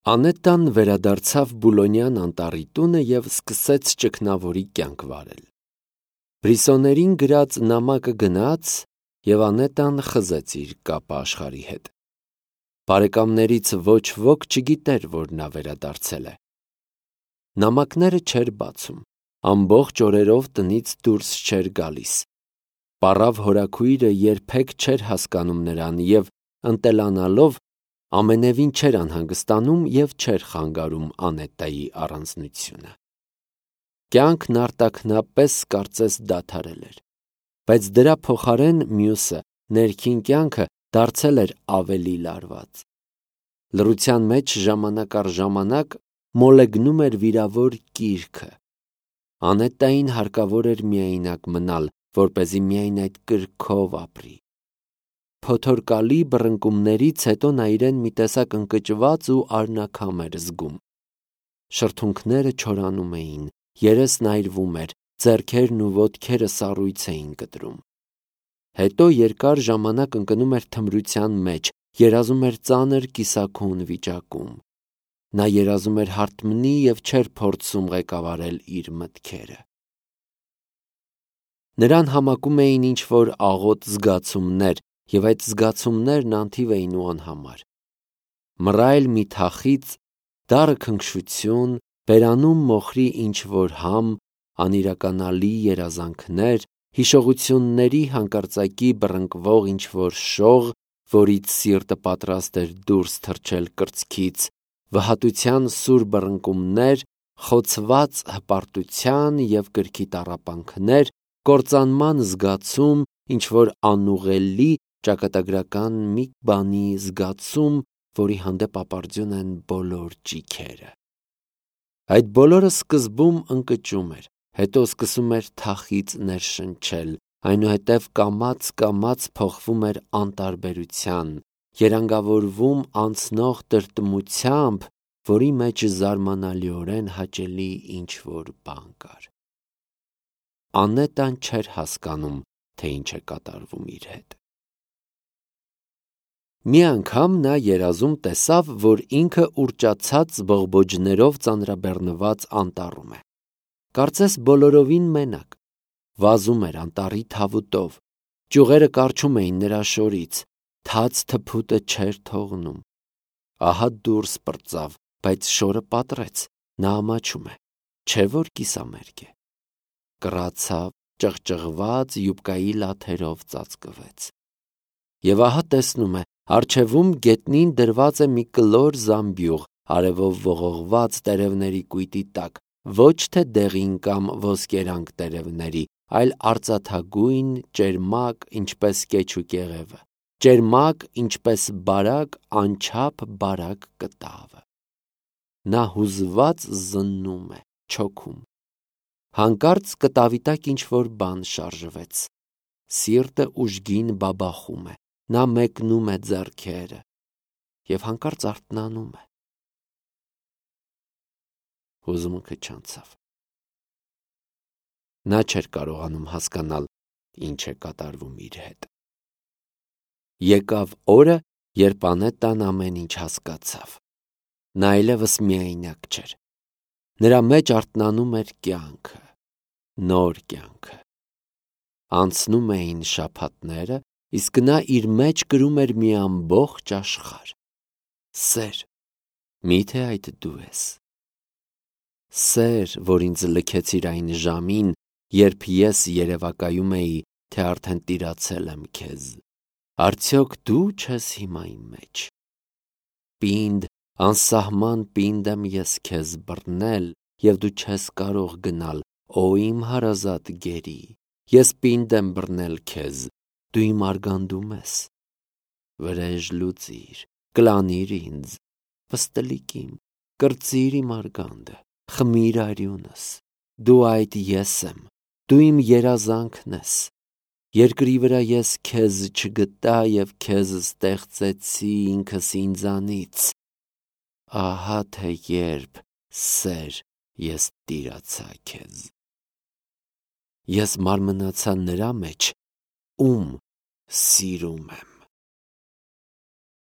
Անետան վերադարձավ Բուլոնյան անտառի տունը և սկսեց ճգնավորի կյանք վարել։ Բրիսոներին գրած նամակը գնաց, և Անետան խզեց իր կապը աշխարհի հետ։ Բարեկամներից ոչ ոք չգիտեր, որ նա վերադարձել է։ Նամակները չէր բացում, ամբողջ օրերով տնից դուրս չէր գալիս։ Պառավ հորաքույրը երբեք չէր հասկանում նրան և, ընտելանալով, ամենևին չէր անհանգստանում և չէր խանգարում Անետայի առանձնությունը։ Կյանքն արտաքնապես կարծես դադարել էր, բայց դրա փոխարեն մյուսը, ներքին կյանքը, դարձել էր ավելի լարված։ Լռության մեջ ժամանակ առ ժամանակ մոլեգնում էր վիրավոր կիրքը։ Անետային հարկավոր էր միայնակ մնալ, որպեսզի միայն այդ կրքով ապրի։ Փոթորկալի բռնկումներից հետո նա իրեն մի տեսակ ընկճված ու արնաքամ էր զգում։ Շրթունքները չորանում էին, երեսն այրվում էր, ձեռքերն ու ոտքերը սառույց էին կտրում։ Հետո երկար ժամանակ ընկնում էր թմրության մեջ, երազում էր ծանր կիսաքուն վիճակում։ Նա երազում էր հարթմնի և չէր փորձում ղեկավարել իր մտքերը։ Նրան համակում էին ինչ-որ աղոտ զգացումներ, և այդ զգացումներն անթիվ էին ու անհամար։ Մռայլ մի թախիծ, դառը քնքշություն, բերանում մոխրի ինչ-որ համ, անիրականալի երազանքներ, հիշողությունների հանկարծակի բռնկվող ինչ-որ շող, որից սիրտը պատրաստ էր դուրս թռչել կրծքից, վհատության սուր բռնկումներ, խոցված հպարտության և կրքի տառապանքներ, կործանման զգացում, ինչ-որ անուղղելի, ճակատագրական մի բանի զգացում, որի հանդեպ ապարդյուն են բոլոր ճիգերը։ Այդ բոլորը սկզբում ընկճում էր, հետո սկսում էր թախիծ ներշնչել, այնուհետև կամաց փոխվում էր անտարբերության, երանգավորվում անցնող տրտմությամբ, որի մեջ զարմանալիորեն հաճելի ինչ-որ բան կար։ Անետան չէր հասկանում, թե ինչ է կատարվում իր հետ։ Մի անգամ նա երազում տեսավ, որ ինքը ուռճացած բողբոջներով ծանրաբեռնված անտառում է։ Կարծես բոլորովին մենակ։ Վազում էր անտառի թավուտով, ճյուղերը կառչում էին նրա շորից, թաց թփուտը չէր թողնում։ Ահա դուրս պրծավ, բայց շորը պատռեց, նա ամաչում է, չէ՞ որ կիսամերկ է։ Կռացավ, ճղճղված յուբկայի լաթերով ծածկվեց։ Եվ ահա տեսնում է, առջևում գետնին դրված է մի կլոր զամբյուղ, արևով ողողված տերևների կույտի տակ, ոչ թե դեղին կամ ոսկերանք տերևների, այլ արծաթագույն, ճերմակ, ինչպես կեչ ու կեղևը, ճերմակ, ինչպես բարակ, անչափ բարակ կտավը։ Նա հուզված զննում է, չոքում։ Հանկարծ կտավի տակ ինչ-որ բան շարժվեց։ Սիրտը ուժգին բաբախում է, նա մեկնում է ձեռքերը և հանկարծ արթնանում է։ Հուզմունքը չանցավ։ Նա չէր կարողանում հասկանալ, ինչ է կատարվում իր հետ։ Եկավ օրը, երբ Անետան ամեն ինչ հասկացավ։ Նա այլևս միայնակ չէր։ Նրա մեջ արթնանում էր կյանքը, նոր կյանքը։ Անցնում էին շաբաթները, իսկ նա իր մեջ կրում էր մի ամբողջ աշխարհ։ Սեր, միթե այդ դու ես։ Սեր, որ ինձ լքեցիր այն ժամին, երբ ես երևակայում էի, թե արդեն տիրացել եմ քեզ, արդյոք դու չես հիմա իմ մեջ։ Պինդ, անսահման պինդ եմ ես քեզ բռնել, և դու չես կարող գնալ, օ իմ հարազատ գերի, ես պինդ եմ բռնել քեզ, դու իմ արգանդում ես։ Վրեժ լուծիր, կլանիր ինձ, պստլիկ իմ, կրծիր իմ արգանդը, խմիր արյունս, դու այդ ես եմ, դու իմ երազանքն ես։ Երկրի վրա ես քեզ չգտա և քեզ ստեղծեցի ինքս ինձանից։ Ահա թե երբ, սեր, ես տիրացա քեզ։ Ես մարմնացա նրա մեջ, ում սիրում եմ։